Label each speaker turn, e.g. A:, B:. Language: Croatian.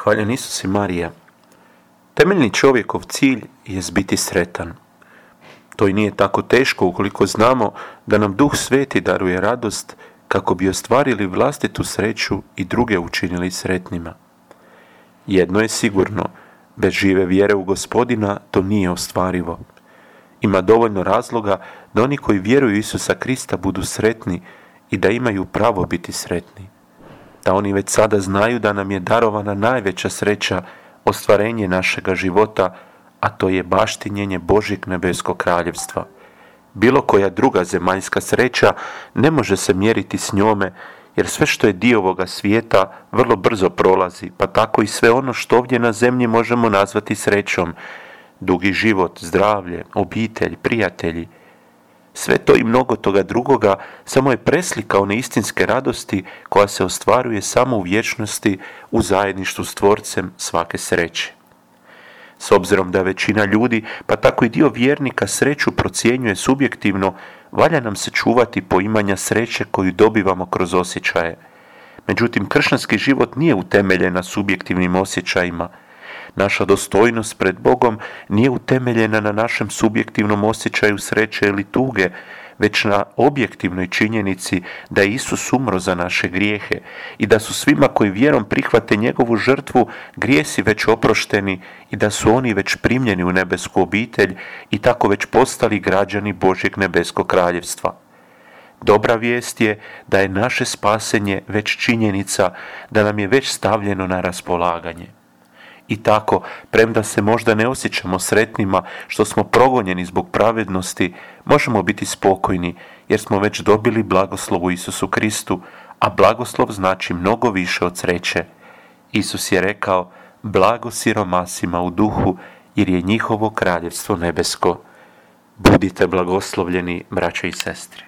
A: Hvaljen Isus i Marija. Temeljni čovjekov cilj je biti sretan. To i nije tako teško ukoliko znamo da nam Duh Sveti daruje radost kako bi ostvarili vlastitu sreću i druge učinili sretnima. Jedno je sigurno, bez žive vjere u Gospodina to nije ostvarivo. Ima dovoljno razloga da oni koji vjeruju Isusa Krista budu sretni i da imaju pravo biti sretni. Da oni već sada znaju da nam je darovana najveća sreća, ostvarenje našega života, a to je baštinjenje Božjeg nebeskog kraljevstva. Bilo koja druga zemaljska sreća ne može se mjeriti s njome, jer sve što je dio ovoga svijeta vrlo brzo prolazi, pa tako i sve ono što ovdje na zemlji možemo nazvati srećom. Dugi život, zdravlje, obitelj, prijatelji. Sve to i mnogo toga drugoga samo je preslika one istinske radosti koja se ostvaruje samo u vječnosti u zajedništvu s Tvorcem svake sreće. S obzirom da većina ljudi, pa tako i dio vjernika, sreću procjenjuje subjektivno, valja nam se čuvati poimanja sreće koju dobivamo kroz osjećaje. Međutim, kršćanski život nije utemeljen na subjektivnim osjećajima. Naša dostojnost pred Bogom nije utemeljena na našem subjektivnom osjećaju sreće ili tuge, već na objektivnoj činjenici da je Isus umro za naše grijehe i da su svima koji vjerom prihvate njegovu žrtvu grijesi već oprošteni i da su oni već primljeni u nebesku obitelj i tako već postali građani Božjeg nebeskog kraljevstva. Dobra vijest je da je naše spasenje već činjenica, da nam je već stavljeno na raspolaganje. I tako, premda se možda ne osjećamo sretnima što smo progonjeni zbog pravednosti, možemo biti spokojni jer smo već dobili blagoslov u Isusu Kristu, a blagoslov znači mnogo više od sreće. Isus je rekao, blago siromasima u duhu jer je njihovo kraljevstvo nebesko. Budite blagoslovljeni, braće i sestre.